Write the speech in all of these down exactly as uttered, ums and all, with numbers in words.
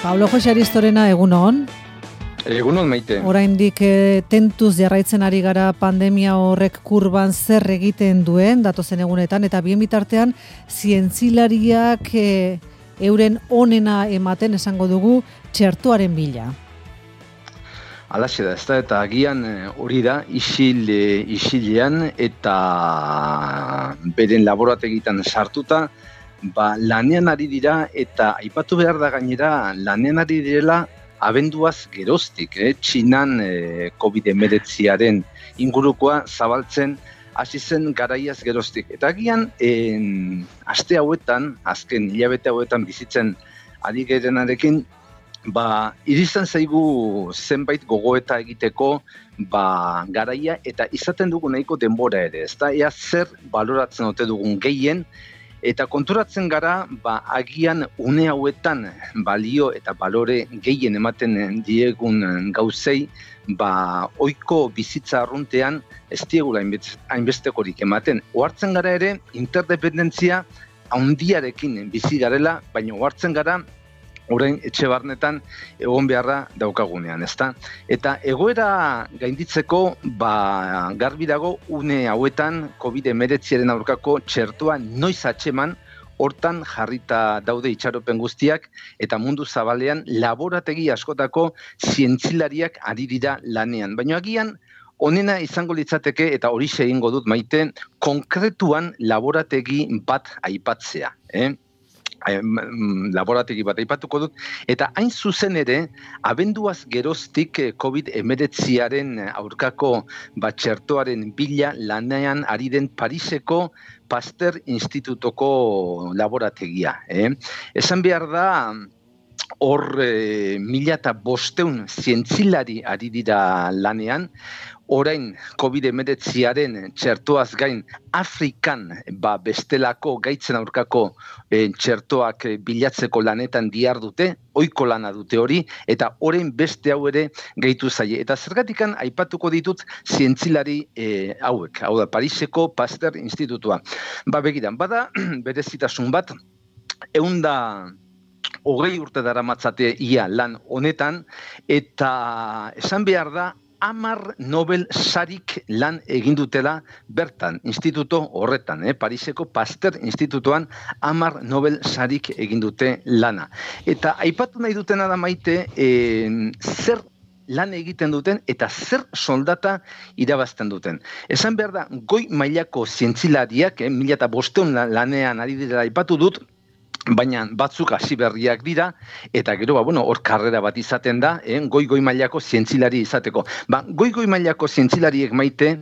Pablo Jose Aristorena, egunon. Egunon, Maite. Oraindik e, tentuz jarraitzen ari gara pandemia horrek kurban zer egiten duen, datozen egunetan, eta bien bitartean, zientzilariak e, euren onena ematen esango dugu txertoaren bila. Alaxe da, ez da, eta agian hori da, isil, isilean eta beren laborategitan sartuta, ba, lanean ari dira, eta aipatu behar da gainera, lanean ari direla, abenduaz geroztik, eh? Txinan eh, covid hemeretziaren ingurukoa zabaltzen hasi zen garaiaz geroztik. Eta agian, eh, aste hauetan, azken hilabete hauetan bizitzen ari gerenarekin, ba, irizten zaigu zenbait gogoeta egiteko ba, garaia eta izaten dugu nahiko denbora ere. Ez da, ea zer baloratzen ote dugun gehien, eta konturatzen gara, ba, agian une hauetan balio eta balore gehien ematen diegun gauzei, ba, ohiko bizitza arruntean ez diegula hainbestekorik ematen. Ohartzen gara ere, interdependentzia handiarekin bizi garela, baina ohartzen gara, orain etxe barnetan egon beharra daukagunean, ezta? Eta egoera gainditzeko, ba, garbi dago une hauetan covid hemeretziaren aurkako txertoa noiz atxeman, hortan jarrita daude itxaropen guztiak, eta mundu zabalean laborategi askotako zientzilariak ari dira lanean. Baina agian, onena izango litzateke, eta hori egingo dut Maite, konkretuan laborategi bat aipatzea, eh? laborategi bat aipatuko dut, eta hain zuzen ere, abenduaz geroztik covid hemeretziaren aurkako batxertoaren bila lanean ari den Pariseko Pasteur Institutoko laborategia. Eh? Esan behar da, hor e, mila eta bosteun zientzilari ari dira lanean, orain covid hemeretziaren txertoaz gain Afrikan ba, bestelako gaitzen aurkako e, txertoak bilatzeko lanetan dihardute, ohiko lana dute hori, eta orain beste hau ere gehitu zaie. Eta zergatikan aipatuko ditut zientzilari e, hauek, hau da Pariseko Pasteur Institutua. Ba begiran, bada berezitasun bat, ehunda hogei urte daramatzate ia lan honetan, eta esan behar da, hamar Nobel sarik lan egin dutela bertan, instituto horretan, eh? Pariseko Pasteur Institutoan hamar Nobel sarik egin dute lana. Eta aipatu nahi dutena da Maite, eh, zer lan egiten duten eta zer soldata irabazten duten. Esan behar da, goi mailako zientzilariak, eh, mila eta bosteun lanean ari dira aipatu dut, baina batzuk hasi berriak dira, eta gero, ba, bueno, hor karrera bat izaten da, eh, goi-goi mailako zientzilari izateko. Ba, goi-goi mailako zientzilariek Maite,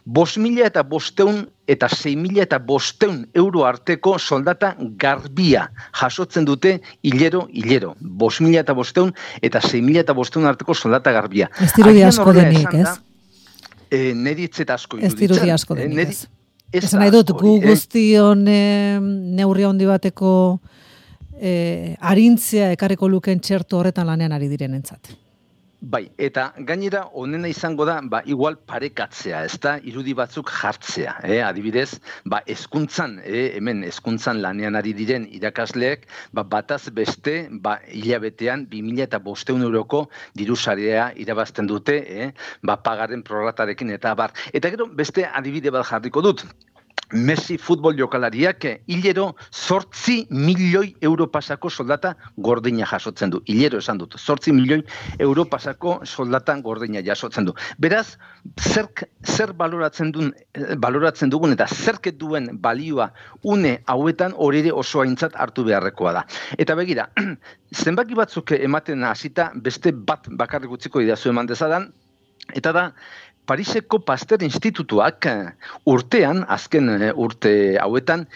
bost mila eta bosteun eta sei mila eta bosteun euro arteko soldata garbia jasotzen dute hilero-hilero. Bost mila eta bosteun eta sei mila eta bosteun arteko soldata garbia. Ez dirudi asko denik, ez? Eh, Neritzet asko iruditzen. Ez dirudi asko denik, eh, ez? Esan nahi dut, gu guztion eh, neurri handi bateko eh, arintzea ekarriko luken txerto horretan lanean ari direnentzat. Bai, eta gainera onena izango da, ba, igual parekatzea, ez da, irudi batzuk jartzea, eh? Adibidez, ba, hezkuntzan, eh? hemen hezkuntzan lanean ari diren irakasleek, ba, bataz beste, ba, hilabetean, bi mila eta bosteun euroko dirusarea irabazten dute, eh? ba, pagaren proratarekin eta bar. Eta gero, beste adibide bat jarriko dut. Messi futbol jokalariak hilero zortzi milioi euro pasako soldata gordina jasotzen du. Hilero esan dut, zortzi milioi euro pasako soldatan gordina jasotzen du. Beraz, zer, zer baloratzen, duen, baloratzen dugun eta zerket duen balioa une hauetan hori ere oso aintzat hartu beharrekoa da. Eta begira, zenbaki batzuk ematen hasita beste bat bakarrik utziko idazu eman dezadan, eta da, Pariseko Pasteur Institutuak urtean, azken urte hauetan,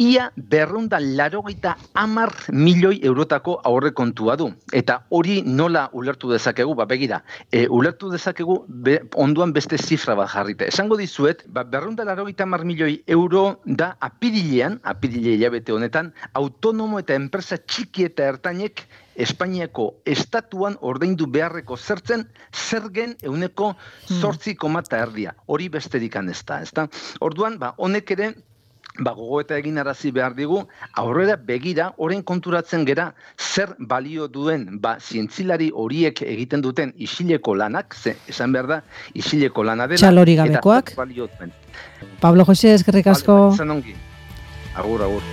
ia berrunda larogeita hamar milioi eurotako aurrekontua du. Eta hori nola ulertu dezakegu, ba begira, e, ulertu dezakegu be, onduan beste zifra bat jarrita. Esango dizuet, ba, berrunda larogeita hamar milioi euro da apirilean, apirile hilabete honetan, autonomo eta enpresa txiki eta ertainek Espainiako estatuan ordaindu beharreko zertzen zergen ehuneko zortzi koma erdia. Hori besterik ez da, ezta? Orduan, ba, honek ere ba, gogoeta egin arazi behar digu, aurrera begira, orain konturatzen gera, zer balio duen, ba, zientzilari horiek egiten duten isileko lanak, ze, esan behar da, isileko lana dela. Txalori gabekoak. Eta balio duen. Pablo Jose, eskerrik asko. Vale, ba, agur, agur.